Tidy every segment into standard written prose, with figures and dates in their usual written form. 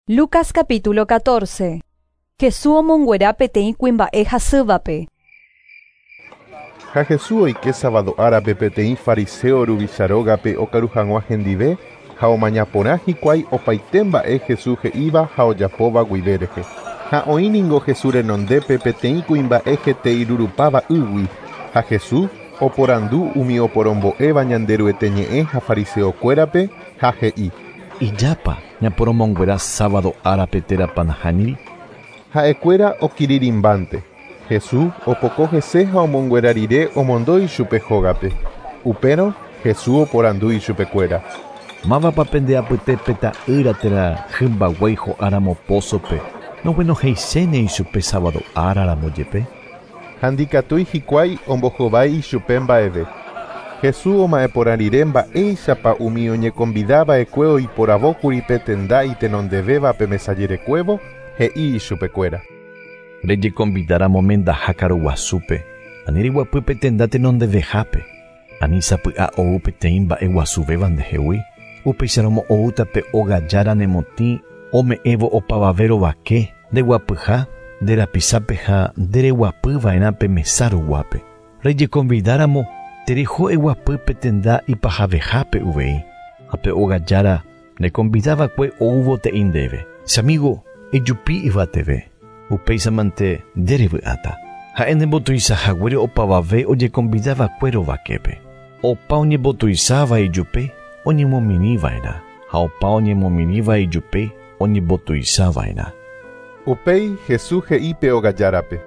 Lucas capítulo 14. Jesús omonguera peteĩ kuimba'e hasývape. Ha Jesús oike sábado árape peteĩ fariseo ruvicha rógape okaru hag̃ua hendive ha omaña porã hikuái opaite mba'e Jesús he'íva ha ojapóva guive rehe. Ha oĩ ningo Jesús renondépe peteĩ kuimba'e hete irurupáva ýgui ha Jesús oporandu umi oporombo'éva Ñanderuete ñe'ẽ ha fariseokuérape ha he'i: Ijapa ñaporomonguera sábado árape térãpa nahániri. Ha'ekuéra okirirĩmbánte. Jesús opoko hese ha omonguera rire omondo ichupe hógape. Upérõ Jesús oporandu ichupekuéra. Mávapa pende apytépe ta'ýra térã hymba guéi ho'áramo pósope noguenohẽichéne ichupe sábado áraramo jepe. Ha ndikatúi hikuái ombohovái ichupe mba'eve. Jesús oma'ẽporã rire mba'éichapa umi oñekonvidava'ekue oiporavókuri pe tenda itenondevéva pe mesajerekuévo, he'i ichupekuéra. Rejekonvidáramo mendaha karuguasúpe, ani reguapy pe tenda tenondevehápe, ani sapy'a ou peteĩ mba'eguasuvéva ndehegui, upéicharamo oúta pe óga jára nemotĩ ome'ẽvo opavave rovake ndeguapyha nde ha ndereguapyva'erã pe mesa ruguápe. Rejekonvidáramo tereho eguapy pe tenda ipahavehápe uvei, ha pe óga jára nekonvidava'ekue oúvo te'i ndéve. Che amigo, ejupi yvateve, upéichamante nderevy'áta. Ha'e nembotuichahaguére opavave ojekonvidava'ekue rovaképe. Opa oñembotuicháva ijupe oñemomirĩva'erã ha opa oñemomirĩva ijupe oñembotuichava'erã. Upéi Jesús he'i pe óga járape.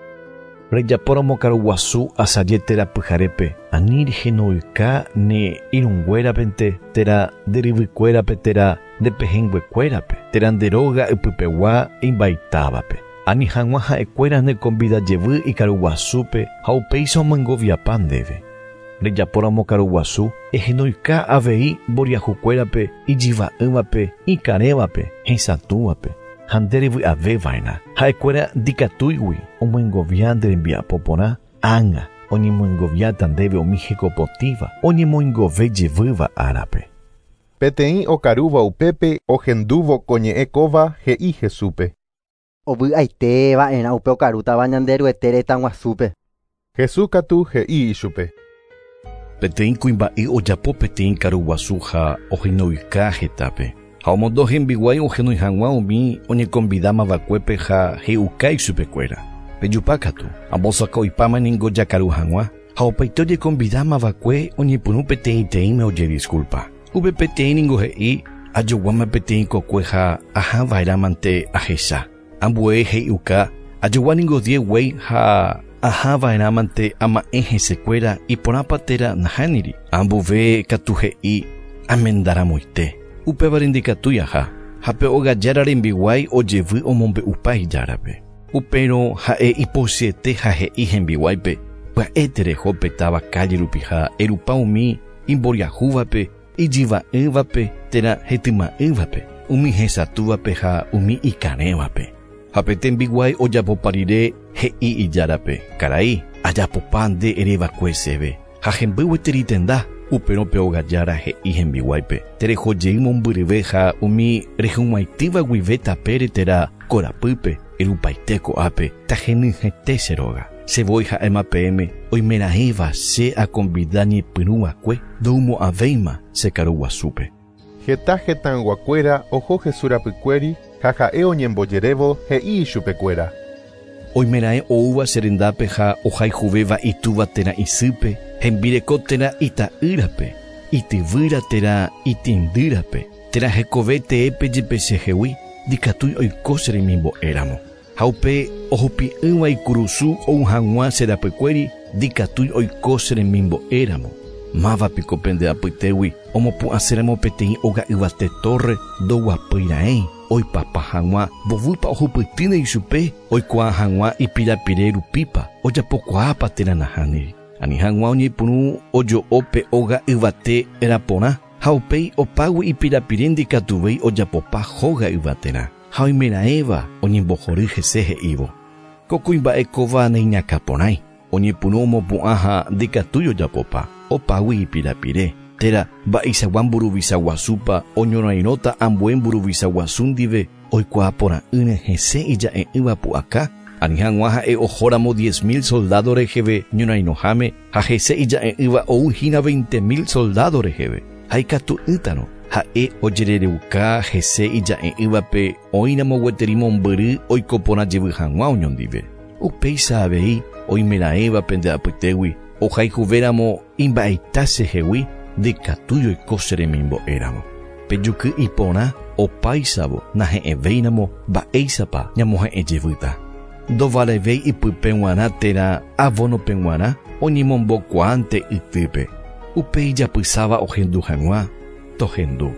Rejapóramo karuguasu asaje térã pyharépe ani rehenoika ne irũnguérapente térã nderyvykuérape térã ndepehẽnguekuérape térã nde róga ypypegua imbaitávape. Ani hag̃ua ha'ekuéra nekonvidajevy ikaruguasúpe ha upéicha omoingoviapa ndéve. Rejapóramo karuguasu ehenoika avei mboriahukuérape ijyva'ỹvape ikarẽvape hesatũvape ha nderevy'aveva'erã. Ha'ekuéra ndikatúigui omoingovia nde rembiapo porã ág̃a oñemoingoviáta ndéve umi hekopotĩva oñemoingove jevýva árape. Peteĩ okarúva upépe ohendúvo ko ñe'ẽ kóva he'i Jesúspe. Ovy'aiteva'erã upe okarútava Ñanderuete retãguasúpe. Jesús katu he'i ichupe. Peteĩ kuimba'e ojapo peteĩ karuguasu ha ohenoika hetápe. Ha omondo hembiguái ohenói hag̃ua umi oñekonvidámava'ekuépe ha he'uka ichupekuéra. Pejupákatu, ambosaka'oipáma ningo jakaru hag̃ua ha opaite ojekonvidámava'ekue oñepyrũ peteĩteĩme ojedisculpa. Upe peteĩ ningo he'i ajoguáma peteĩ kokue ha ahava'erãmante ahecha. Ambue he'iuka ajogua ningo 10 guéi ha ahava'erãmante ama'ẽ hesekuéra iporãpa térã nahániri. Ambove katu he'i amendaramoite. Upévare ndikatúi aha ha pe óga jára rembiguái ojevy omombe'upa ijárape. Upérõ ha'e ipochyete ha he'i hembiguáipe pya'e tereho pe táva calle rupi ha erupa umi imboriahúvape ijyva'ỹvape térã hetyma'ỹvape umi hesatũvape ha umi ikarẽvape. Ha pe tembiguái ojapopa rire he'i ijárape karai ajapopa nde ereva'ekue chéve ha hemby gueteri tenda upérõ pe óga jára he'i hembiguáipe terehojey mombyryve ha umi rehug̃uaitýva guive tapére térã korapýpe erupaite ko'ápe tahenyhẽte che róga. Che voi ha'éma peẽme oimeraẽva che akonvida ñepyrũva'ekue ndoumo'ãvéima che karuguasúpe. Heta hetãyguakuéra oho Jesús rapykuéri ha ha'e oñembojerévo he'i ichupekuéra. Oimeraẽ oúva che rendápe ha ohayhuvéva itúva térã isýpe hembireko térã ita'ýrape ityvýra térã itĩndýrape térã hekove teépe jepe chehegui ndikatúi oiko che remimbo'éramo. Ha upe ohupi'ỹva ikurusu ou hag̃ua che rapykuéri ndikatúi oiko che remimbo'éramo. Mávapiko pende apytégui omopu'ãséramo peteĩ óga yvate torre ndoguapýira'ẽ oipapa hag̃ua mbovýpa ohupytýne ichupe oikuaa hag̃ua ipirapire rupípa ojapokuaápa térã nahániri. Ani hag̃ua oñepyrũ ojo'o pe óga yvate raporã ha upéi opágui ipirapire ndikatuvéi ojapopa hóga yvaterã ha oimeraẽva oñembohory hese he'ívo. Ko kuimba'e kóva neiñakãporãi oñepyrũ omopu'ã ha ndikatúi ojapopa opágui ipirapire térã mba'eichagua mburuvicha guasúpa oñorairõta ambue mburuvicha guasu ndive. Oikuaaporã'ỹre hese ija'e'ỹva pu'aka, ani hag̃ua ha'e ohóramo 10 000 soldado reheve ñorairõháme ha hese ija'e'ỹva ouhína 20 000 soldado reheve. Ha ikatu'ỹtarõ ha'e ojerereuka hese ija'e'ỹvape oĩramo gueteri mombyry oiko porã jevy hag̃ua oñondive. Upéicha avei oimeraẽva pende apytégui ohayhuvéramo imba'eita chehegui ndikatúi oiko che remimbo'éramo. Pe juky iporã opáichavo nahe'ẽvéiramo mba'éichapa ñamohe'ẽ jevýta. Ndovalevéi ipype g̃uarã térã avónope g̃uarã oñemombokuaánte ytýpe. Upe ijapysáva ohendu hag̃ua tohendu.